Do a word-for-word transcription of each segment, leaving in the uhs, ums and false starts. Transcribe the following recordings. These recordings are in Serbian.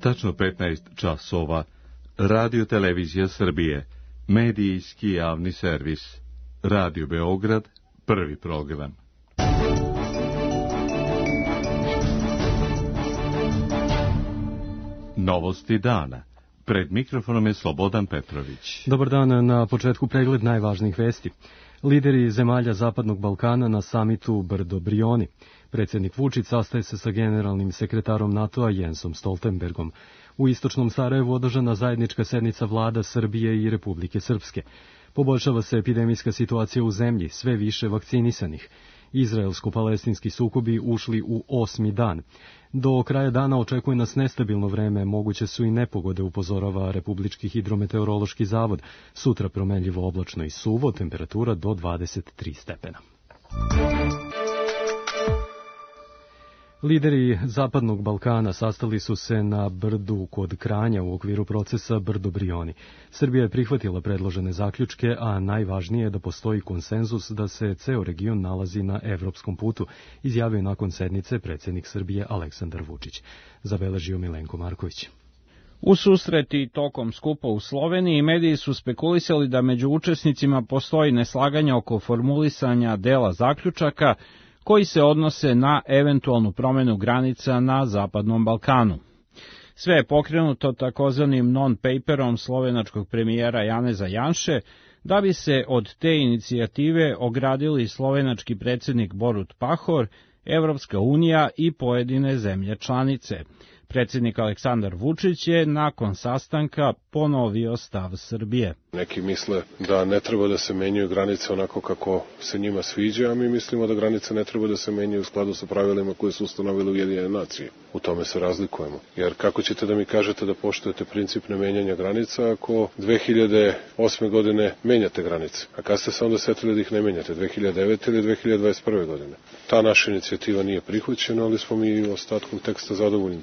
Tačno petnaest časova. Radio Televizija Srbije. Medijski javni servis. Radio Beograd. Prvi program. Novosti dana. Pred mikrofonom je Slobodan Petrović. Dobar dan, na početku pregled najvažnijih vesti. Lideri zemalja Zapadnog Balkana na samitu Brdo-Brioni. Predsjednik Vučić sastaje se sa generalnim sekretarom NATO-a Jensom Stoltenbergom. U istočnom Sarajevu održana zajednička sednica vlada Srbije i Republike Srpske. Poboljšava se epidemijska situacija u zemlji, sve više vakcinisanih. Izraelsko-palestinski sukobi ušli u osmi dan. Do kraja dana očekuje nas nestabilno vreme, moguće su i nepogode, upozorava Republički hidrometeorološki zavod. Sutra promenljivo oblačno i suvo, temperatura do dvadeset tri stepena. Lideri Zapadnog Balkana sastali su se na Brdu kod Kranja u okviru procesa Brdo-Brioni. Srbija je prihvatila predložene zaključke, a najvažnije je da postoji konsenzus da se ceo region nalazi na evropskom putu, izjavio nakon sednice predsjednik Srbije Aleksandar Vučić. Zabeležio Milenko Marković. U susreti tokom skupa u Sloveniji mediji su spekulisali da među učesnicima postoji neslaganje oko formulisanja dela zaključaka koji se odnose na eventualnu promjenu granica na Zapadnom Balkanu. Sve je pokrenuto takozvanim non-paperom slovenačkog premijera Janeza Janše, da bi se od te inicijative ogradili slovenački predsjednik Borut Pahor, Evropska unija i pojedine zemlje članice. Predsjednik Aleksandar Vučić je nakon sastanka ponovio stav Srbije. Neki misle da ne treba da se menjaju granice onako kako se njima sviđa, a mi mislimo da granice ne treba da se menjaju u skladu sa pravilima koje su ustanovile Ujedinjene nacije. U tome se razlikujemo. Jer kako ćete da mi kažete da poštujete princip nemenjanja granica ako dve hiljade osme godine menjate granice? A kad ste se onda setili da ih ne menjate? dve hiljade devete ili dve hiljade dvadeset prve godine? Ta naša inicijativa nije prihvaćena, ali smo mi ostatkom teksta zadovoljni.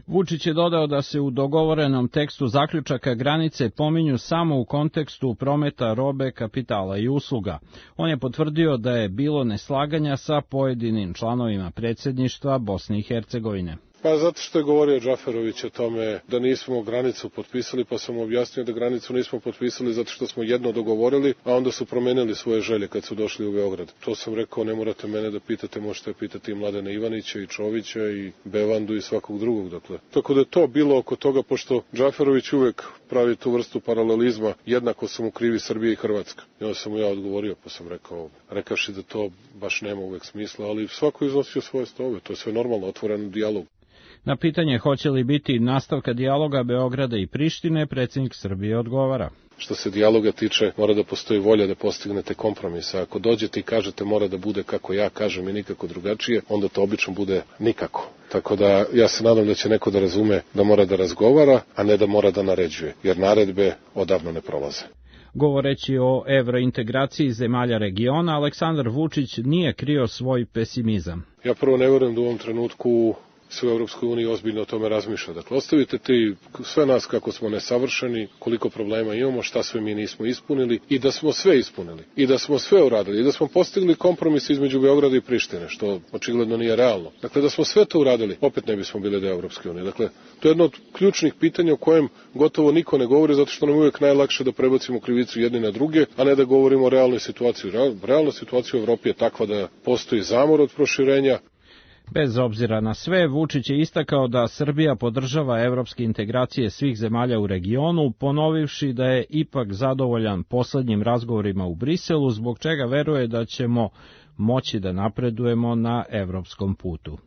Vučić je dodao da se u dogovorenom tekstu zaključaka granice pominju samo u kontekstu prometa robe, kapitala i usluga. On je potvrdio da je bilo neslaganja sa pojedinim članovima predsjedništva Bosne i Hercegovine. Pa zato što je govorio Džaferović o tome da nismo granicu potpisali, pa sam objasnio da granicu nismo potpisali zato što smo jedno dogovorili, a onda su promenili svoje želje kad su došli u Beograd. To sam rekao, ne morate mene da pitate, možete pitati i Mladena Ivanića i Čovića i Bevandu i svakog drugog. Dakle. Tako da je to bilo oko toga, pošto Džaferović uvek pravi tu vrstu paralelizma, jednako su mu krivi Srbija i Hrvatska. I onda sam mu ja odgovorio, pa sam rekao, rekavši da to baš nema uvek smisla, ali svako iznosio svoje stove, to je sve normalno, otvoren dijalog. Na pitanje hoće li biti nastavka dijaloga Beograda i Prištine, predsjednik Srbije odgovara. Što se dijaloga tiče, mora da postoji volja da postignete kompromis. Ako dođete i kažete mora da bude kako ja kažem i nikako drugačije, onda to obično bude nikako. Tako da ja se nadam da će neko da razume da mora da razgovara, a ne da mora da naređuje, jer naredbe odavno ne prolaze. Govoreći o evrointegraciji zemalja regiona, Aleksandar Vučić nije krio svoj pesimizam. Ja prvo ne vjerujem da u ovom trenutku sve u Europskoj uniji ozbiljno o tome razmišlja. Dakle, ostavite ti sve nas kako smo nesavršeni, koliko problema imamo, šta sve mi nismo ispunili i da smo sve ispunili. I da smo sve uradili. I da smo postigli kompromis između Beograda i Prištine, što očigledno nije realno. Dakle, da smo sve to uradili, opet ne bismo bili deo Europske unije. Dakle, to je jedno od ključnih pitanja o kojem gotovo niko ne govori, zato što nam uvijek najlakše da prebacimo krivicu jedni na druge, a ne da govorimo o realnoj situaciji. Realna situacija u Evropi je takva da postoji zamor od proširenja. Bez obzira na sve, Vučić je istakao da Srbija podržava evropske integracije svih zemalja u regionu, ponovivši da je ipak zadovoljan poslednjim razgovorima u Briselu, zbog čega veruje da ćemo moći da napredujemo na evropskom putu.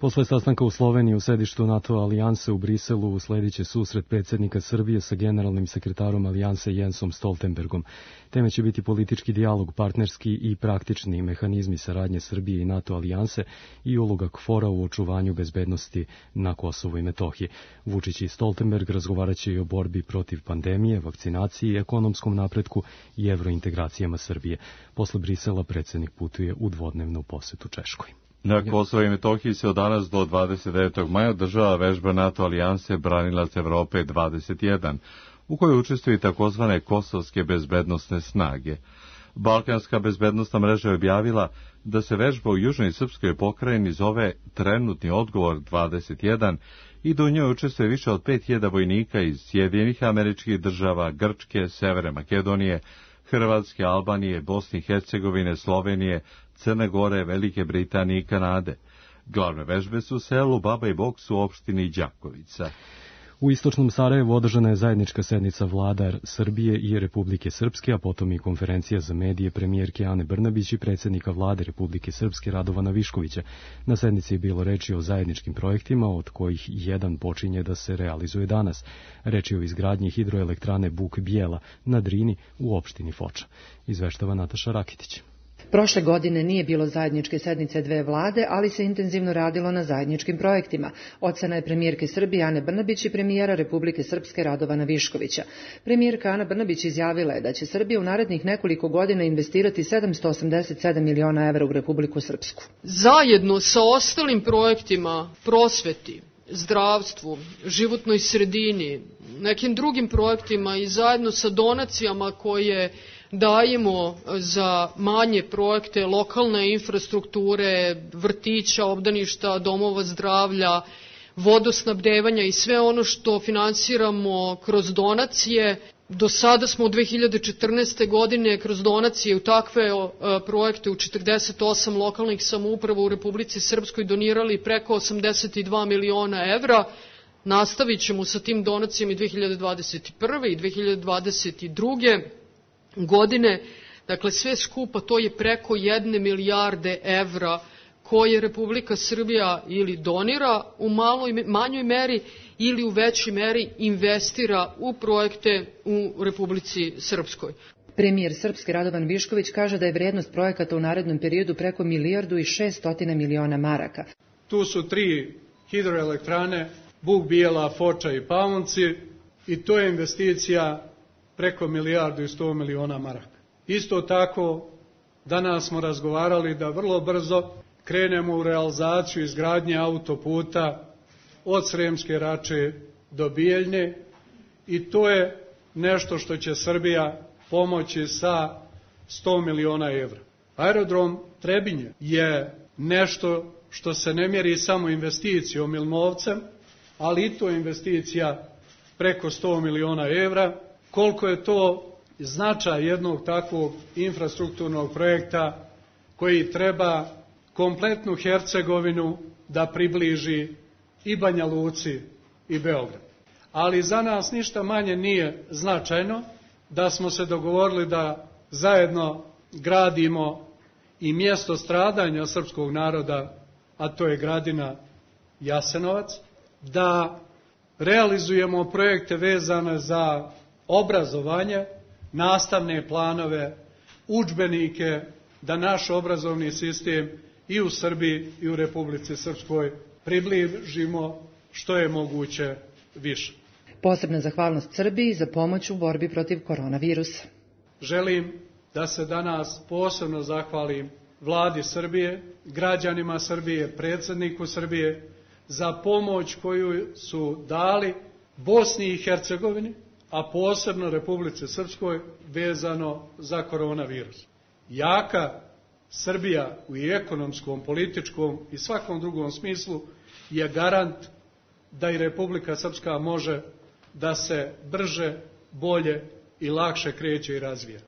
Posle sastanka u Sloveniji u sedištu NATO alijanse u Briselu usledit će susret predsjednika Srbije sa generalnim sekretarom alijanse Jensom Stoltenbergom. Teme će biti politički dijalog, partnerski i praktični mehanizmi saradnje Srbije i NATO alijanse i uloga KFOR-a u očuvanju bezbednosti na Kosovu i Metohiji. Vučić i Stoltenberg razgovarat će i o borbi protiv pandemije, vakcinaciji, ekonomskom napretku i evrointegracijama Srbije. Posle Brisela predsjednik putuje u dvodnevnu posetu Češkoj. Na Kosovo i Metohiji se od danas do dvadeset devetog maja održava vežba NATO alijanse Branilac Evrope dvadeset jedan, u kojoj učestvuju takozvane kosovske bezbednosne snage. Balkanska bezbednosna mreža je objavila da se vežba u južnoj srpskoj pokrajini zove Trenutni odgovor dvadeset jedan i da u njoj učestvuje više od pet hiljada vojnika iz Sjedinjenih Američkih Država, Grčke, Severne Makedonije, Hrvatske, Albanije, Bosne i Hercegovine, Slovenije, Crne Gore, Velike Britanije i Kanade. Glavne vežbe su u selu Baba i Boks u opštini Đakovica. U istočnom Sarajevu održana je zajednička sednica vlada Srbije i Republike Srpske, a potom i konferencija za medije premijerke Ane Brnabić i predsjednika vlade Republike Srpske Radovana Viškovića. Na sednici je bilo reči o zajedničkim projektima, od kojih jedan počinje da se realizuje danas. Reč je o izgradnji hidroelektrane Buk Bijela na Drini u opštini Foča. Izveštava Nataša Rakitić. Prošle godine nije bilo zajedničke sednice dve vlade, ali se intenzivno radilo na zajedničkim projektima. Ocena je premijerke Srbije Ane Brnabić i premijera Republike Srpske Radovana Viškovića. Premijerka Ana Brnabić izjavila je da će Srbija u narednih nekoliko godina investirati sedamsto osamdeset sedam miliona evra u Republiku Srpsku. Zajedno sa ostalim projektima prosveti, zdravstvu, životnoj sredini, nekim drugim projektima i zajedno sa donacijama koje dajemo za manje projekte lokalne infrastrukture, vrtića, obdaništa, domova zdravlja, vodosnabdevanja i sve ono što finansiramo kroz donacije. Do sada smo u dve hiljade četrnaeste. godine kroz donacije u takve projekte u četrdeset osam lokalnih samouprava u Republici Srpskoj donirali preko osamdeset dva miliona evra. Nastavit ćemo sa tim donacijama i dve hiljade dvadeset prve. i dve hiljade dvadeset druge. godine, dakle sve skupa to je preko jedne milijarde evra koje Republika Srbija ili donira u maloj, manjoj meri ili u većoj meri investira u projekte u Republici Srpskoj. Premijer Srpske Radovan Višković kaže da je vrijednost projekata u narednom periodu preko milijardu i šeststotina miliona maraka. Tu su tri hidroelektrane, Buk Bijela, Foča i Pavunci, i to je investicija preko milijardu i sto miliona maraka. Isto tako, danas smo razgovarali da vrlo brzo krenemo u realizaciju izgradnje autoputa od Sremske Rače do Bijeljne i to je nešto što će Srbija pomoći sa sto miliona evra. Aerodrom Trebinje je nešto što se ne mjeri samo investicijom ili novcem, ali i to je investicija preko sto miliona evra. Koliko je to značaj jednog takvog infrastrukturnog projekta koji treba kompletnu Hercegovinu da približi i Banja Luci i Beograd. Ali za nas ništa manje nije značajno da smo se dogovorili da zajedno gradimo i mjesto stradanja srpskog naroda, a to je Gradina Jasenovac, da realizujemo projekte vezane za obrazovanje, nastavne planove, udžbenike, da naš obrazovni sistem i u Srbiji i u Republici Srpskoj približimo što je moguće više. Posebna zahvalnost Srbiji za pomoć u borbi protiv koronavirusa. Želim da se danas posebno zahvalim vladi Srbije, građanima Srbije, predsjedniku Srbije za pomoć koju su dali Bosni i Hercegovini, a posebno Republici Srpskoj vezano za koronavirus. Jaka Srbija u ekonomskom, političkom i svakom drugom smislu je garant da i Republika Srpska može da se brže, bolje i lakše kreće i razvija.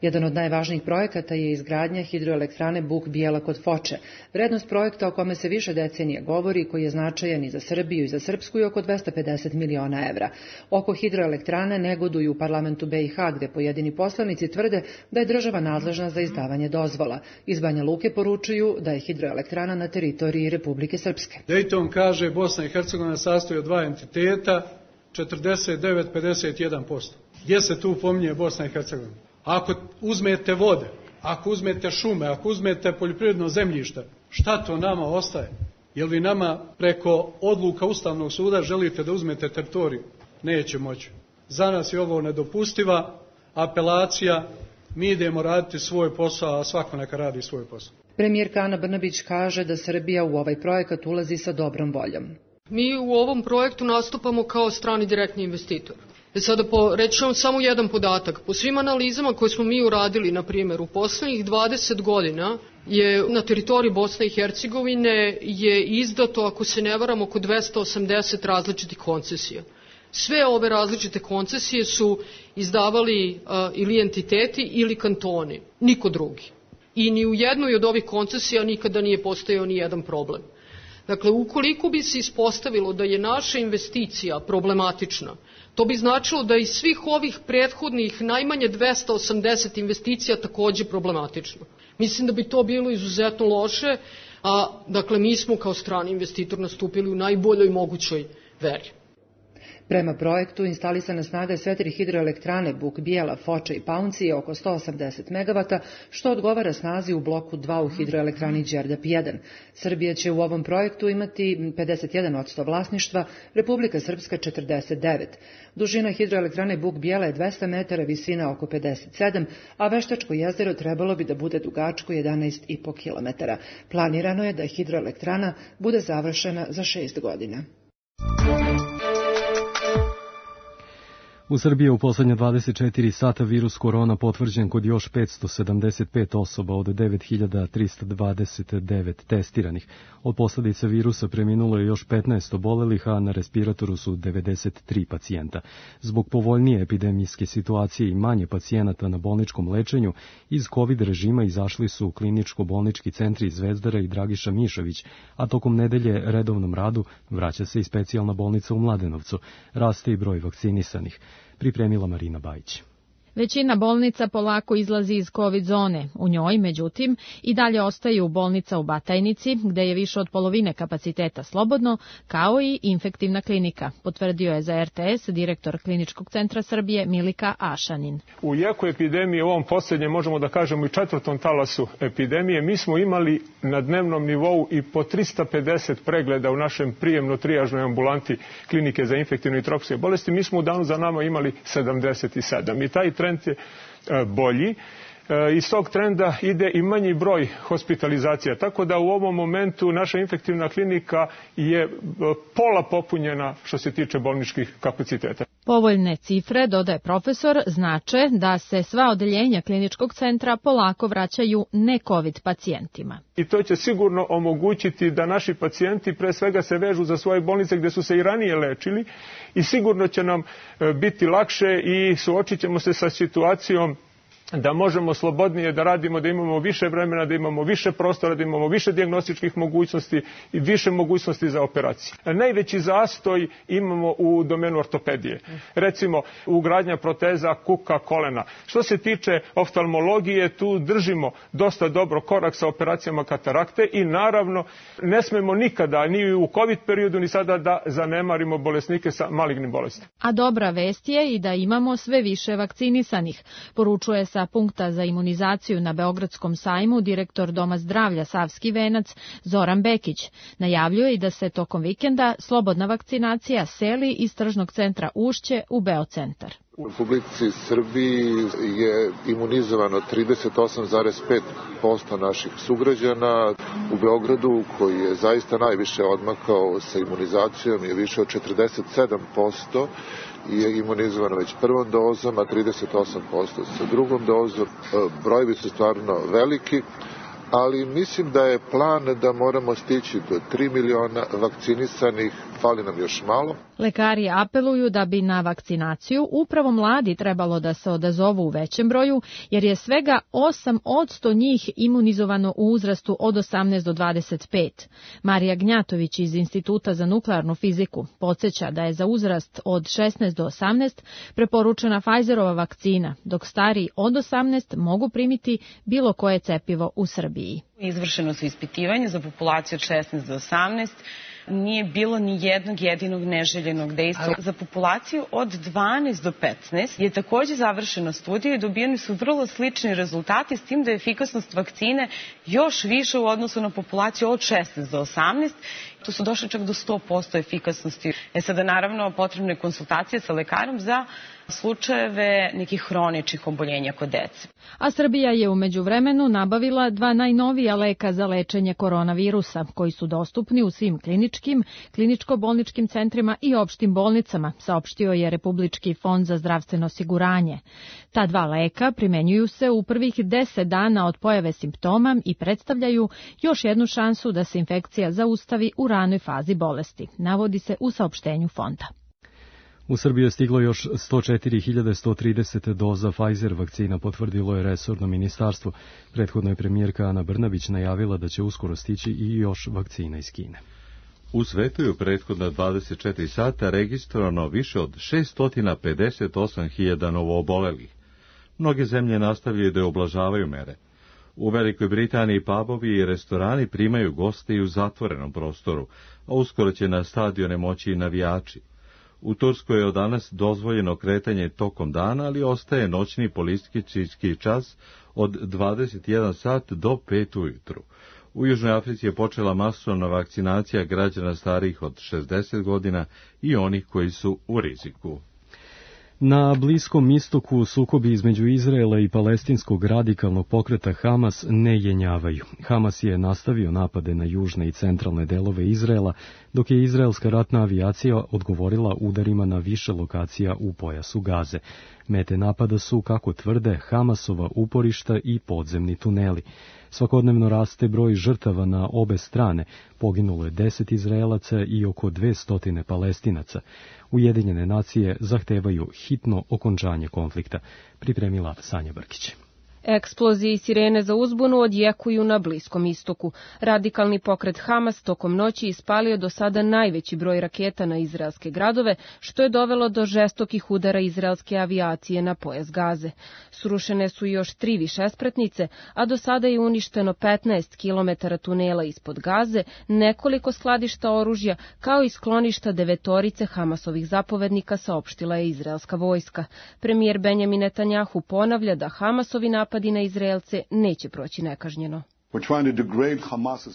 Jedan od najvažnijih projekata je izgradnja hidroelektrane Buk Bijela kod Foče. Vrednost projekta o kome se više decenije govori, koji je značajan i za Srbiju i za Srpsku, je oko dvesta pedeset miliona evra. Oko hidroelektrane negoduju u parlamentu B i H, gde pojedini poslanici tvrde da je država nadležna za izdavanje dozvola. Iz Banja Luke poručuju da je hidroelektrana na teritoriji Republike Srpske. Dayton kaže Bosna i Hercegovina sastoji od dva entiteta, četrdeset devet zarez pedeset jedan posto. Gdje se tu pominje Bosna i Hercegovina? Ako uzmete vode, ako uzmete šume, ako uzmete poljoprivredno zemljište, šta to nama ostaje? Jel vi nama preko odluka Ustavnog suda želite da uzmete teritoriju? Neće moći. Za nas je ovo nedopustiva apelacija, mi idemo raditi svoj posao, a svako neka radi svoj posao. Premijerka Ana Brnabić kaže da Srbija u ovaj projekat ulazi sa dobrom voljom. Mi u ovom projektu nastupamo kao strani direktni investitor. E sada po, reći vam samo jedan podatak. Po svim analizama koje smo mi uradili, na primjer, u poslednjih dvadeset godina je na teritoriji Bosne i Hercegovine je izdato, ako se ne varam, oko dvesta osamdeset različitih koncesija. Sve ove različite koncesije su izdavali a, ili entiteti ili kantoni, niko drugi. I ni u jednoj od ovih koncesija nikada nije postojao ni jedan problem. Dakle, ukoliko bi se ispostavilo da je naša investicija problematična, to bi značilo da iz svih ovih prethodnih najmanje dvesta osamdeset investicija takođe problematično. Mislim da bi to bilo izuzetno loše, a dakle mi smo kao strani investitor nastupili u najboljoj mogućoj veri. Prema projektu, instalisana snaga sve tri hidroelektrane Buk, Bijela, Foča i Paunci je oko sto osamdeset megavata, što odgovara snazi u bloku dva u hidroelektrani Đerdap jedan. Srbija će u ovom projektu imati pedeset jedan posto vlasništva, Republika Srpska četrdeset devet. Dužina hidroelektrane Buk, Bijela je dvesta metara, visina oko pedeset sedam, a Veštačko jezero trebalo bi da bude dugačko jedanaest i po kilometara. Planirano je da hidroelektrana bude završena za šest godina. U Srbiji je u poslednje dvadeset četiri sata virus korona potvrđen kod još petsto sedamdeset pet osoba od devet hiljada trista dvadeset devet testiranih. Od posledica virusa preminulo je još petnaest obolelih, a na respiratoru su devedeset tri pacijenta. Zbog povoljnije epidemijske situacije i manje pacijenata na bolničkom lečenju, iz COVID režima izašli su kliničko-bolnički centri Zvezdara i Dragiša Mišović, a tokom nedelje redovnom radu vraća se i specijalna bolnica u Mladenovcu. Raste i broj vakcinisanih. Pripremila Marina Bajić. Većina bolnica polako izlazi iz COVID zone. U njoj, međutim, i dalje ostaju bolnica u Batajnici, gde je više od polovine kapaciteta slobodno, kao i infektivna klinika, potvrdio je za R T S direktor Kliničkog centra Srbije Milika Ašanin. U jeku epidemije, u ovom posljednjem, možemo da kažemo i četvrtom talasu epidemije, mi smo imali na dnevnom nivou i po trista pedeset pregleda u našem prijemno-trijažnoj ambulanti Klinike za infektivne i tropske bolesti. Mi smo u danu za nama imali sedamdeset sedam i taj trend je bolji. Iz tog trenda ide i manji broj hospitalizacija, tako da u ovom momentu naša infektivna klinika je pola popunjena što se tiče bolničkih kapaciteta. Povoljne cifre, dodaje profesor, znače da se sva odeljenja kliničkog centra polako vraćaju ne-COVID pacijentima. I to će sigurno omogućiti da naši pacijenti pre svega se vežu za svoje bolnice gde su se i ranije lečili i sigurno će nam biti lakše i suočit ćemo se sa situacijom da možemo slobodnije da radimo, da imamo više vremena, da imamo više prostora, da imamo više dijagnostičkih mogućnosti i više mogućnosti za operacije. Najveći zastoj imamo u domenu ortopedije. Recimo, ugradnja proteza kuka, kolena. Što se tiče oftalmologije, tu držimo dosta dobro korak sa operacijama katarakte i naravno ne smemo nikada, ni u COVID periodu, ni sada da zanemarimo bolesnike sa malignim bolestima. A dobra vest je i da imamo sve više vakcinisanih, poručuje sa punkta za imunizaciju na Beogradskom sajmu direktor Doma zdravlja Savski venac Zoran Bekić. Najavljuje i da se tokom vikenda slobodna vakcinacija seli iz tržnog centra Ušće u Beocentar. U Republici Srbiji je imunizovano trideset osam zarez pet posto naših sugrađana. U Beogradu, koji je zaista najviše odmakao sa imunizacijom, je više od četrdeset sedam posto je imunizovano već prvom dozom, a trideset osam posto sa drugom dozom. Brojevi su stvarno veliki, ali mislim da je plan da moramo stići do tri miliona vakcinisanih, fali nam još malo. Lekari apeluju da bi na vakcinaciju upravo mladi trebalo da se odazovu u većem broju, jer je svega osam posto njih imunizovano u uzrastu od osamnaest do dvadeset pet. Marija Gnjatović iz Instituta za nuklearnu fiziku podsjeća da je za uzrast od šesnaest do osamnaest preporučena Pfizerova vakcina, dok stariji od osamnaest mogu primiti bilo koje cepivo u Srbiji. Izvršeno su ispitivanje za populaciju od šesnaest do osamnaest. Nije bilo ni jednog jedinog neželjenog dejstva. Za populaciju od dvanaest do petnaest je takođe završena studija i dobijeni su vrlo slični rezultati, s tim da je efikasnost vakcine još više u odnosu na populaciju od šesnaest do osamnaest. Tu su došli čak do sto posto efikasnosti. E sada naravno potrebne konsultacije sa lekarom za slučajeve nekih hroničnih oboljenja kod dece. A Srbija je u međuvremenu nabavila dva najnovija leka za lečenje koronavirusa, koji su dostupni u svim kliničkim, kliničko-bolničkim centrima i opštim bolnicama, saopštio je Republički fond za zdravstveno osiguranje. Ta dva leka primenjuju se u prvih deset dana od pojave simptoma i predstavljaju još jednu šansu da se infekcija zaustavi u ranoj fazi bolesti, navodi se u saopštenju fonda. U Srbiju je stiglo još sto četiri hiljade sto trideset doza Pfizer vakcina, potvrdilo je resorno ministarstvo. Prethodno je premijerka Ana Brnabić najavila da će uskoro stići i još vakcina iz Kine. U svetu je u prethodna dvadeset četiri sata registrovano više od šesto pedeset osam hiljada novoobolelih. Mnoge zemlje nastavljaju da oblažavaju mere. U Velikoj Britaniji pubovi i restorani primaju goste i u zatvorenom prostoru, a uskoro će na stadione moći i navijači. U Turskoj je od danas dozvoljeno kretanje tokom dana, ali ostaje noćni policijski čas od dvadeset jedan sat do pet ujutru. U Južnoj Africi je počela masovna vakcinacija građana starijih od šezdeset godina i onih koji su u riziku. Na Bliskom istoku sukobi između Izraela i palestinskog radikalnog pokreta Hamas ne jenjavaju. Hamas je nastavio napade na južne i centralne delove Izraela, dok je izraelska ratna avijacija odgovorila udarima na više lokacija u pojasu Gaze. Mete napada su, kako tvrde, Hamasova uporišta i podzemni tuneli. Svakodnevno raste broj žrtava na obe strane, poginulo je deset Izraelaca i oko dvesta Palestinaca. Ujedinjene nacije zahtevaju hitno okončanje konflikta, pripremila Sanja Brkić. Eksplozije i sirene za uzbunu odjekuju na Bliskom istoku. Radikalni pokret Hamas tokom noći ispalio do sada najveći broj raketa na izraelske gradove, što je dovelo do žestokih udara izraelske avijacije na pojas Gaze. Srušene su još tri višespratnice, a do sada je uništeno petnaest kilometara tunela ispod Gaze, nekoliko skladišta oružja, kao i skloništa devetorice Hamasovih zapovednika, saopštila je izraelska vojska. Premijer Benjamin Netanjahu ponavlja da Hamasovi napadi na Izraelce neće proći nekažnjeno.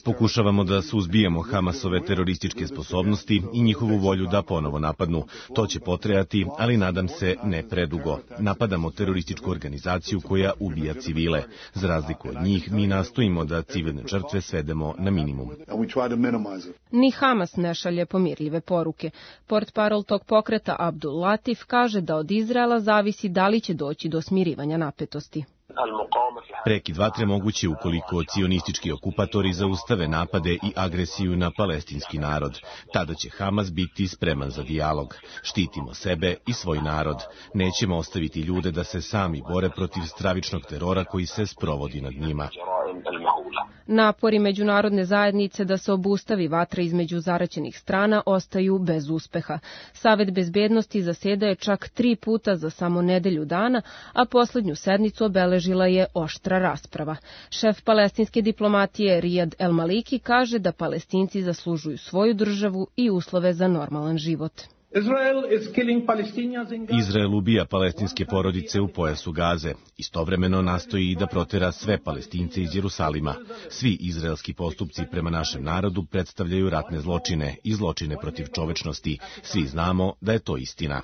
Pokušavamo da suzbijemo Hamasove terorističke sposobnosti i njihovu volju da ponovo napadnu. To će potrajati, ali nadam se ne predugo. Napadamo terorističku organizaciju koja ubija civile. Za razliku od njih, mi nastojimo da civilne žrtve svedemo na minimum. Ni Hamas ne šalje pomirljive poruke. Portparol tog pokreta Abdul Latif kaže da od Izraela zavisi da li će doći do smirivanja napetosti. Prekid vatre moguće ukoliko cionistički okupatori zaustave napade i agresiju na palestinski narod. Tada će Hamas biti spreman za dijalog. Štitimo sebe i svoj narod. Nećemo ostaviti ljude da se sami bore protiv stravičnog terora koji se sprovodi nad njima. Napori međunarodne zajednice da se obustavi vatra između zaraćenih strana ostaju bez uspeha. Savet bezbednosti zasedaje čak tri puta za samo nedelju dana, a poslednju sednicu obeležila je oštra rasprava. Šef palestinske diplomatije Rijad El Maliki kaže da Palestinci zaslužuju svoju državu i uslove za normalan život. Izrael ubija palestinske porodice u pojasu Gaze. Istovremeno nastoji da protera sve Palestince iz Jerusalima. Svi izraelski postupci prema našem narodu predstavljaju ratne zločine i zločine protiv čovečnosti. Svi znamo da je to istina.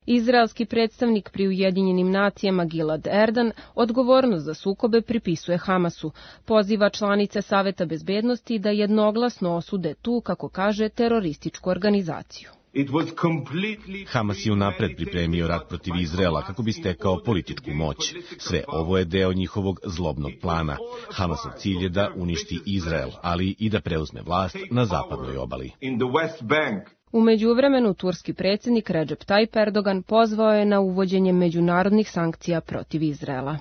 Izraelski predstavnik pri Ujedinjenim nacijama Gilad Erdan odgovornost za sukobe pripisuje Hamasu. Poziva članice Saveta bezbednosti da jednoglasno osude tu, kako kaže, terorističku organizaciju. Hamas je unapred pripremio rat protiv Izraela kako bi stekao političku moć. Sve ovo je deo njihovog zlobnog plana. Hamasov cilj je da uništi Izrael, ali i da preuzme vlast na zapadnoj obali. U međuvremenu, turski predsjednik Recep Tayyip Erdogan pozvao je na uvođenje međunarodnih sankcija protiv Izraela.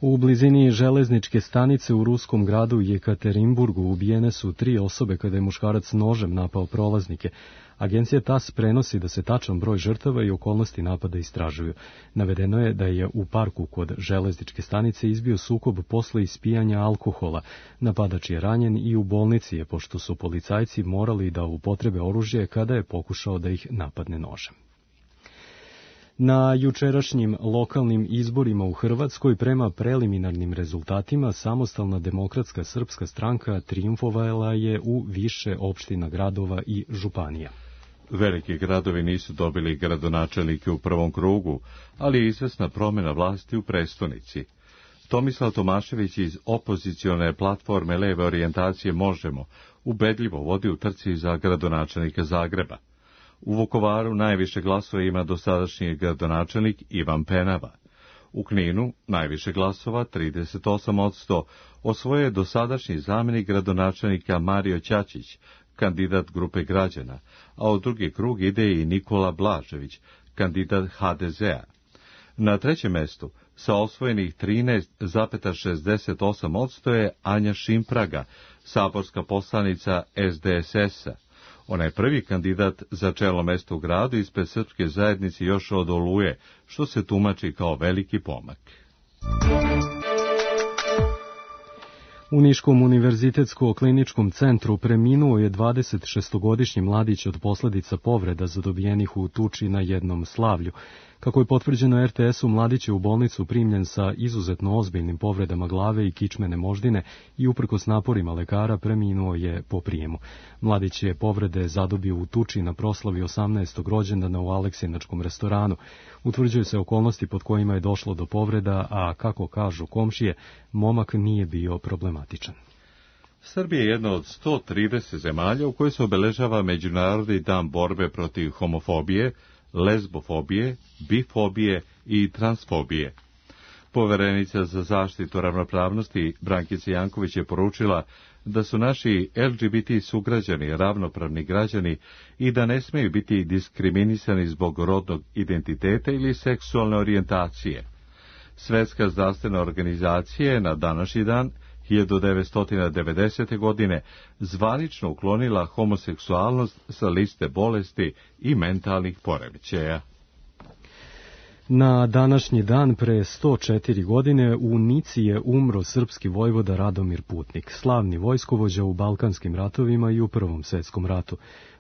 U blizini železničke stanice u ruskom gradu Jekaterinburgu ubijene su tri osobe kada je muškarac nožem napao prolaznike. Agencija T A S prenosi da se tačan broj žrtava i okolnosti napada istražuju. Navedeno je da je u parku kod železničke stanice izbio sukob posle ispijanja alkohola. Napadač je ranjen i u bolnici je, pošto su policajci morali da upotrebe oružje kada je pokušao da ih napadne nožem. Na jučerašnjim lokalnim izborima u Hrvatskoj prema preliminarnim rezultatima Samostalna demokratska srpska stranka trijumfovala je u više opština, gradova i županija. veliki gradovi nisu dobili gradonačelnike u prvom krugu, ali je izvesna promjena vlasti u prestonici. Tomislav Tomašević iz opozicione platforme leve orijentacije Možemo ubedljivo vodi u trci za gradonačelnika Zagreba. U Vukovaru najviše glasova ima dosadašnji gradonačelnik Ivan Penava. U Kninu najviše glasova, trideset osam posto, osvojio je dosadašnji zamjenik gradonačelnika Mario Ćaćić, kandidat grupe građana, a u drugi krug ide i Nikola Blažević, kandidat ha de zea. Na trećem mestu, sa osvojenih trinaest zarez šezdeset osam posto je Anja Šimpraga, saborska poslanica es de es es-a. Ona je prvi kandidat za čelo mesto u gradu ispred srpske zajednice još od Oluje, što se tumači kao veliki pomak. U Niškom univerzitetsko-kliničkom centru preminuo je dvadesetšestogodišnji mladić od posljedica povreda zadobijenih u tuči na jednom slavlju. Kako je potvrđeno er te esu, mladić je u bolnicu primljen sa izuzetno ozbiljnim povredama glave i kičmene moždine i uprkos naporima lekara preminuo je po prijemu. Mladić je povrede zadobio u tuči na proslavi osamnaestog rođendana u Aleksinačkom restoranu. Utvrđuju se okolnosti pod kojima je došlo do povreda, a kako kažu komšije, momak nije bio problematičan. Srbija je jedna od sto trideset zemalja u kojoj se obeležava Međunarodni dan borbe protiv homofobije, lezbofobije, bifobije i transfobije. Poverenica za zaštitu ravnopravnosti Brankica Janković je poručila da su naši el ge be te sugrađani ravnopravni građani i da ne smiju biti diskriminisani zbog rodnog identiteta ili seksualne orijentacije. Svetska zdravstvena organizacija je na današnji dan hiljadu devetsto devedesete. godine zvanično uklonila homoseksualnost sa liste bolesti i mentalnih poremećaja. Na današnji dan pre sto četiri godine u Nici je umro srpski vojvoda Radomir Putnik, slavni vojskovođa u Balkanskim ratovima i u Prvom svetskom ratu.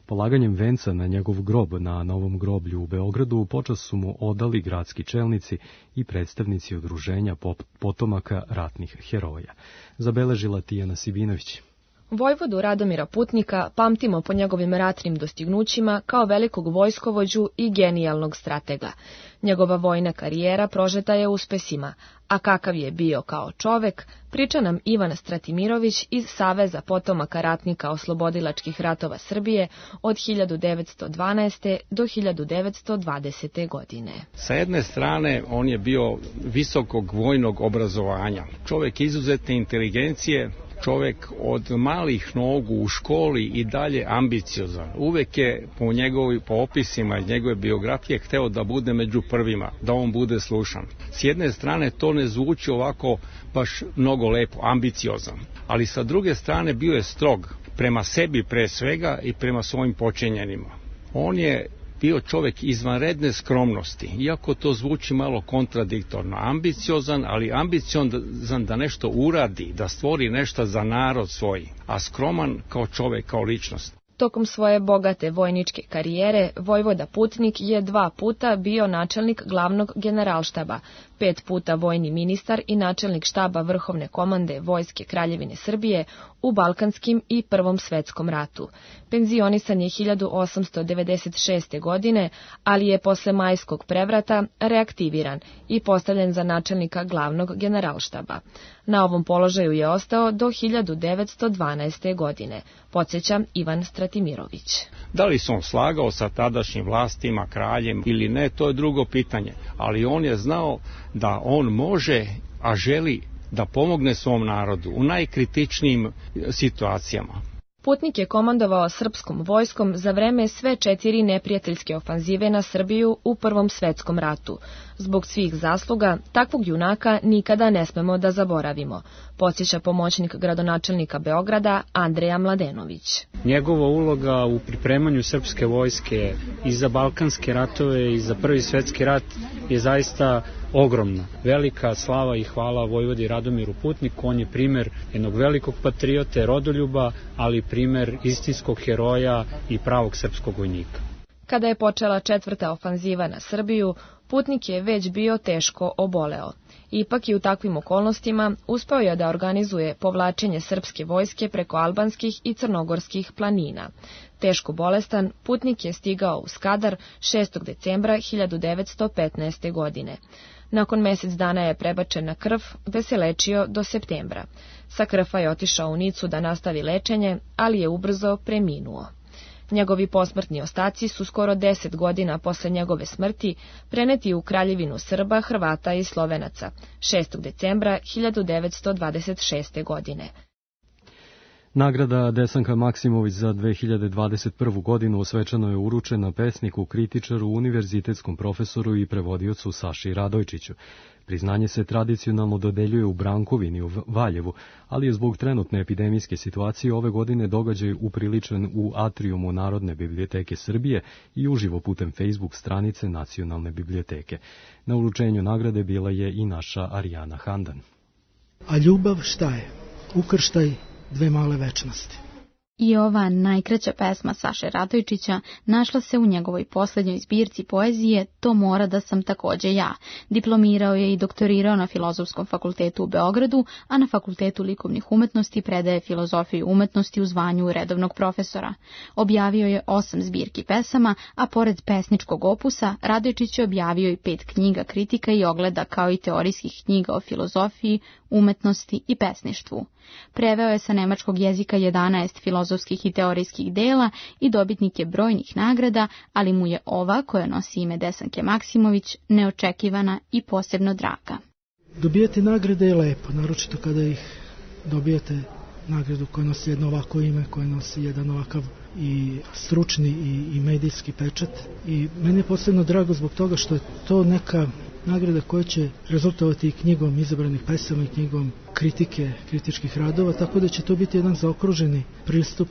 Polaganjem venca na njegov grob na Novom groblju u Beogradu počast su mu odali gradski čelnici i predstavnici udruženja potomaka ratnih heroja. Zabeležila Tijana Sibinović. Vojvodu Radomira Putnika pamtimo po njegovim ratnim dostignućima kao velikog vojskovođu i genijalnog stratega. Njegova vojna karijera prožeta je uspesima, a kakav je bio kao čovek, priča nam Ivan Stratimirović iz Saveza potomaka ratnika oslobodilačkih ratova Srbije od hiljadu devetsto dvanaeste. do hiljadu devetsto dvadesete. godine. Sa jedne strane, on je bio visokog vojnog obrazovanja, čovek izuzetne inteligencije, čovek od malih nogu u školi i dalje ambiciozan. Uvek je po njegovi, po opisima iz njegove biografije hteo da bude među prvima, da on bude slušan. S jedne strane to ne zvuči ovako baš mnogo lepo, ambiciozan, ali sa druge strane bio je strog prema sebi pre svega i prema svojim počinjenima. On je bio čovek izvanredne skromnosti, iako to zvuči malo kontradiktorno. Ambiciozan, ali ambiciozan da nešto uradi, da stvori nešto za narod svoj, a skroman kao čovek, kao ličnost. Tokom svoje bogate vojničke karijere, vojvoda Putnik je dva puta bio načelnik glavnog generalštaba, pet puta vojni ministar i načelnik štaba Vrhovne komande Vojske Kraljevine Srbije u Balkanskim i Prvom svetskom ratu. Penzionisan je hiljadu osamsto devedeset šeste. godine, ali je posle majskog prevrata reaktiviran i postavljen za načelnika glavnog generalštaba. Na ovom položaju je ostao do hiljadu devetsto dvanaeste. godine, podsjeća Ivan Stratimirović. Da li se on slagao sa tadašnjim vlastima, kraljem ili ne, to je drugo pitanje, ali on je znao da on može, a želi da pomogne svom narodu u najkritičnijim situacijama. Putnik je komandovao srpskom vojskom za vreme sve četiri neprijateljske ofanzive na Srbiju u Prvom svetskom ratu. Zbog svih zasluga, takvog junaka nikada ne smemo da zaboravimo, podsjeća pomoćnik gradonačelnika Beograda Andreja Mladenović. Njegova uloga u pripremanju srpske vojske i za Balkanske ratove i za Prvi svetski rat je zaista ogromna. Velika slava i hvala vojvodi Radomiru Putniku, on je primer jednog velikog patriote, rodoljuba, ali primer istinskog heroja i pravog srpskog vojnika. Kada je počela četvrta ofanziva na Srbiju, Putnik je već bio teško oboleo. Ipak i u takvim okolnostima uspeo je da organizuje povlačenje srpske vojske preko albanskih i crnogorskih planina. Teško bolestan, Putnik je stigao u Skadar šestog decembra hiljadu devetsto petnaeste. godine. Nakon mesec dana je prebačen na Krf, gde se lečio do septembra. Sa Krfa je otišao u Nicu da nastavi lečenje, ali je ubrzo preminuo. Njegovi posmrtni ostaci su skoro deset godina posle njegove smrti preneti u Kraljevinu Srba, Hrvata i Slovenaca šestog decembra hiljadu devetsto dvadeset šeste. godine. Nagrada Desanka Maksimović za dve hiljade dvadeset prvu. godinu osvečano je uručena pesniku, kritičaru, univerzitetskom profesoru i prevodiocu Saši Radojčiću. Priznanje se tradicionalno dodeljuje u Brankovini u Valjevu, ali je zbog trenutne epidemijske situacije ove godine događaj upriličen u atrijumu Narodne biblioteke Srbije i uživo putem Facebook stranice Nacionalne biblioteke. Na uručenju nagrade bila je i naša Arijana Handan. A ljubav šta je? Ukrštaj dve male večnosti. I ova najkraća pesma Saše Radojčića našla se u njegovoj posljednjoj zbirci poezije To mora da sam takođe ja. Diplomirao je i doktorirao na Filozofskom fakultetu u Beogradu, a na Fakultetu likovnih umetnosti predaje filozofiju umetnosti u zvanju redovnog profesora. Objavio je osam zbirki pesama, a pored pesničkog opusa, Radojčić je objavio i pet knjiga kritika i ogleda, kao i teorijskih knjiga o filozofiji, umetnosti i pesništvu. Preveo je sa nemačkog jezika jedanaest filozofskih i teorijskih dela i dobitnik je brojnih nagrada, ali mu je ova, koja nosi ime Desanke Maksimović, neočekivana i posebno draga. Dobijati nagrade je lepo, naročito kada ih dobijate nagradu koja nosi jedno ovako ime, koja nosi jedan ovakav i stručni i, i medijski pečat. I meni je posebno drago zbog toga što je to neka nagrada koja će rezultovati i knjigom izabranih pesama i knjigom kritike, kritičkih radova, tako da će to biti jedan zaokruženi pristup,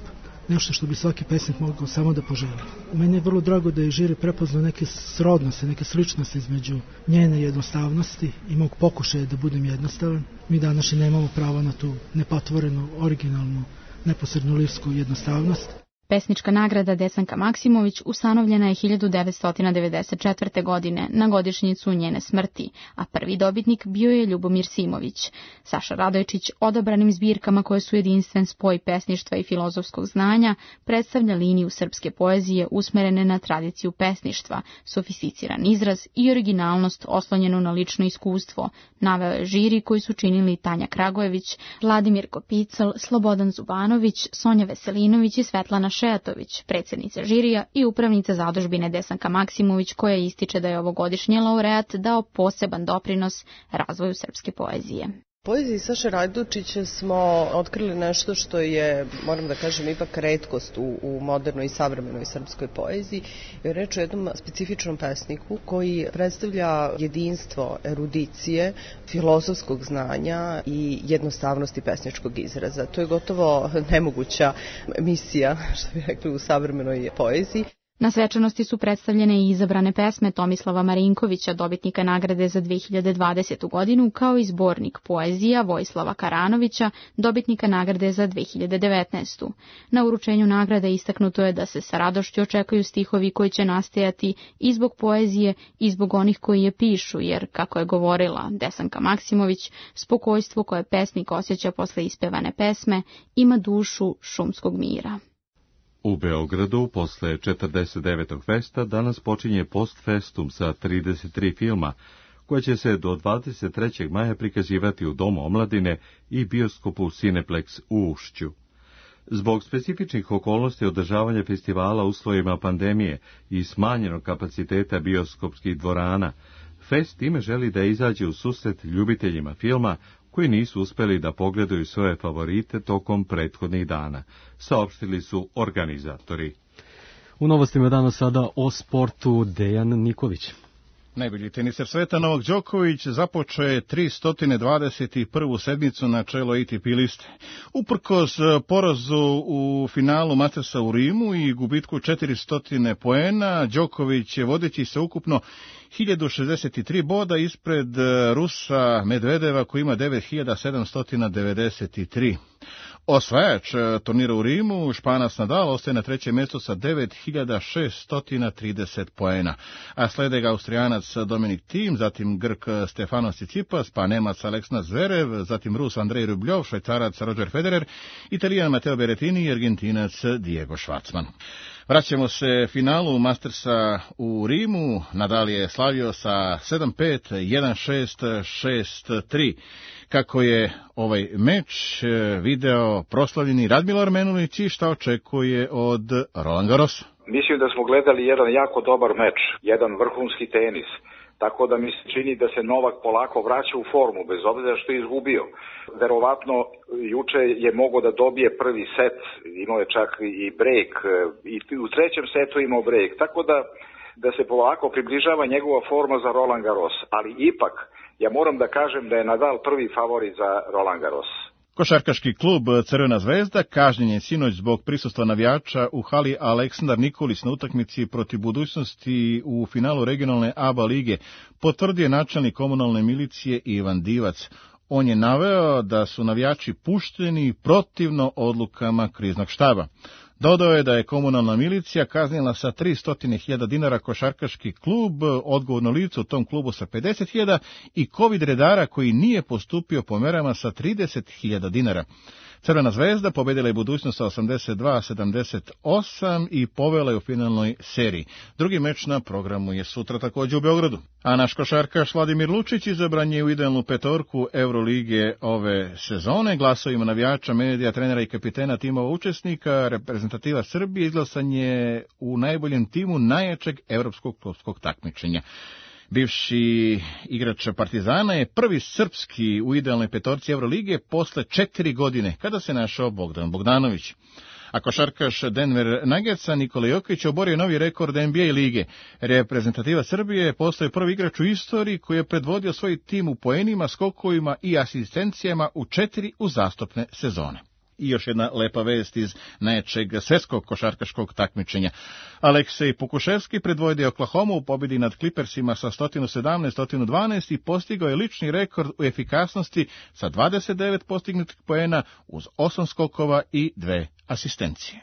nešto što bi svaki pesnik mogao samo da poželi. Meni je vrlo drago da je žiri prepoznao neke srodnosti, neke sličnosti između njene jednostavnosti i mog pokušaja da budem jednostavan. Mi danas nemamo pravo na tu nepatvorenu, originalnu, neposrednu lirsku jednostavnost. Pesnička nagrada Desanka Maksimović ustanovljena je hiljadu devetsto devedeset četvrte. godine na godišnjicu njene smrti, a prvi dobitnik bio je Ljubomir Simović. Saša Radojčić odabranim zbirkama koje su jedinstven spoj pesništva i filozofskog znanja predstavlja liniju srpske poezije usmerene na tradiciju pesništva, sofisticiran izraz i originalnost oslonjenu na lično iskustvo, naveo je žiri koji su činili Tanja Kragojević, Vladimir Kopicl, Slobodan Zubanović, Sonja Veselinović i Svetlana Šejatović, predsjednica žirija i upravnica zadužbine Desanka Maksimović, koja ističe da je ovogodišnji laureat dao poseban doprinos razvoju srpske poezije. Poeziji Saše Radojčića smo otkrili nešto što je, moram da kažem, ipak retkost u, u modernoj i savremenoj srpskoj poeziji. Je reč o jednom specifičnom pesniku koji predstavlja jedinstvo erudicije, filozofskog znanja i jednostavnosti pesničkog izraza. To je gotovo nemoguća misija, što bi rekli, u savremenoj poeziji. Na svečanosti su predstavljene i izabrane pesme Tomislava Marinkovića, dobitnika nagrade za dve hiljade dvadesetu. godinu, kao i zbornik poezija Vojislava Karanovića, dobitnika nagrade za dve hiljade devetnaestu. Na uručenju nagrade istaknuto je da se sa radošću očekuju stihovi koji će nastajati i zbog poezije i zbog onih koji je pišu, jer, kako je govorila Desanka Maksimović, spokojstvo koje pesnik osjeća posle ispevane pesme ima dušu šumskog mira. U Beogradu, posle četrdeset devetog festa, danas počinje postfestum sa trideset tri filma, koje će se do dvadeset trećeg maja prikazivati u Domu omladine i bioskopu Cineplex u Ušću. Zbog specifičnih okolnosti održavanja festivala u uslovima pandemije i smanjenog kapaciteta bioskopskih dvorana, fest time želi da izađe u susret ljubiteljima filma koji nisu uspeli da pogledaju svoje favorite tokom prethodnih dana, saopštili su organizatori. U novostima danas sada o sportu Dejan Nikolić. Najbolji teniser sveta Novak Đoković započeo je tristo dvadeset prvu sedmicu na čelo A T P liste. Uprkos porazu u finalu Mastersa u Rimu i gubitku četiristo poena, Đoković je vodeći se ukupno hiljadu šezdeset tri boda ispred Rusa Medvedeva koji ima devet hiljada sedamsto devedeset tri. Osvajač turnira u Rimu, Španac Nadal, ostaje na trećem mjestu sa devet hiljada šeststo trideset poena, a slede ga Austrijanac Dominik Thiem, zatim Grk Stefanos Tsitsipas, pa Nemac Aleksandar Zverev, zatim Rus Andrej Rubljov, Švajcarac Roger Federer, Italijan Matteo Berrettini i Argentinac Diego Schwartzman. Vraćamo se finalu Mastersa u Rimu. Nadal je slavio sa sedam pet, jedan šest, šest tri. Kako je ovaj meč video proslavljeni Radmilo Armenulić i šta očekuje od Roland Garrosa? Mislim da smo gledali jedan jako dobar meč, jedan vrhunski tenis. Tako da mi se čini da se Novak polako vraća u formu, bez obzira što je izgubio. Verovatno juče je mogao da dobije prvi set, imao je čak i break, i u trećem setu imao break. Tako da, da se polako približava njegova forma za Roland Garros. Ali ipak, ja moram da kažem da je Nadal prvi favorit za Roland Garros. Košarkaški klub Crvena zvezda kažnjen je sinoć zbog prisustva navijača u hali Aleksandar Nikolić na utakmici protiv Budućnosti u finalu regionalne A B A lige, potvrdio je načelnik komunalne milicije Ivan Divac. On je naveo da su navijači pušteni protivno odlukama kriznog štaba. Dodao je da je komunalna milicija kaznila sa tristo hiljada dinara košarkaški klub, odgovorno lice u tom klubu sa pedeset hiljada i covid redara koji nije postupio po merama sa trideset hiljada dinara. Crvena zvezda pobedila je Budućnost sa osamdeset dva sedamdeset osam i povela je u finalnoj seriji. Drugi meč na programu je sutra također u Beogradu. A naš košarkaš Vladimir Lučić izabran je u idealnu petorku Euroligije ove sezone. Glasovima navijača, medija, trenera i kapitena timova učesnika reprezentativa Srbije izglasan je u najboljem timu najjačeg evropskog klubskog takmičenja. Bivši igrač Partizana je prvi srpski u idealnoj petorci Euroligije posle četiri godine, kada se našao Bogdan Bogdanović. A košarkaš Denver Nuggetsa Nikola Jokić oborio novi rekord N B A lige. Reprezentativa Srbije postaje prvi igrač u istoriji koji je predvodio svoj tim u poenima, skokovima i asistencijama u četiri uzastopne sezone. I još jedna lepa vest iz najjačeg svjetskog košarkaškog takmičenja. Aleksej Pukuševski predvodio Oklahoma u pobjedi nad Clippersima sa sto sedamnaest sto dvanaest i postigao je lični rekord u efikasnosti sa dvadeset devet postignutih poena uz osam skokova i dve asistencije.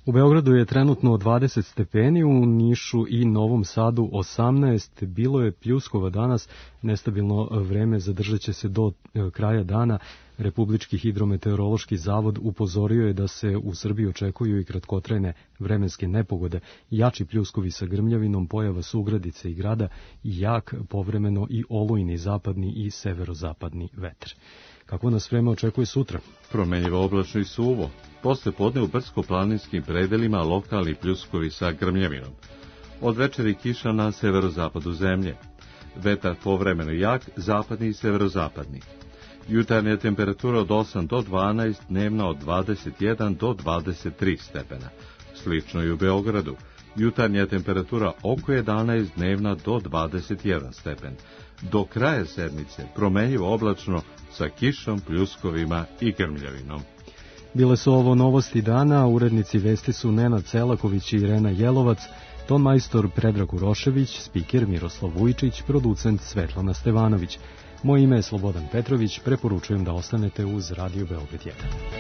U Beogradu je trenutno dvadeset stepeni, u Nišu i Novom Sadu osamnaest, bilo je pljuskova danas, nestabilno vreme zadržat će se do kraja dana. Republički hidrometeorološki zavod upozorio je da se u Srbiji očekuju i kratkotrajne vremenske nepogode, jači pljuskovi sa grmljavinom, pojava sugradice i grada i jak povremeno i olujni zapadni i severozapadni vetar. Kako nas vreme očekuje sutra? Promenjivo oblačno i suvo. Posle podne u brdsko-planinskim predelima lokalni pljuskovi sa grmljavinom. Od večeri kiša na severozapadu zemlje. Vetar povremeno jak, zapadni i severozapadni. Jutarnja temperatura od osam do dvanaest, dnevna od dvadeset jedan do dvadeset tri stepena. Slično i u Beogradu. Jutarnja temperatura oko jedanaest, dnevna do dvadeset jedan stepen. Do kraja sedmice promenjivo oblačno sa kišom, pljuskovima i grmljavinom. Bile su ovo novosti dana, urednici vesti su Nenad Celaković i Irena Jelovac, ton majstor Predrag Urošević, spiker Miroslav Vujčić, producent Svetlana Stevanović. Moje ime je Slobodan Petrović, preporučujem da ostanete uz Radio Beograd jedan.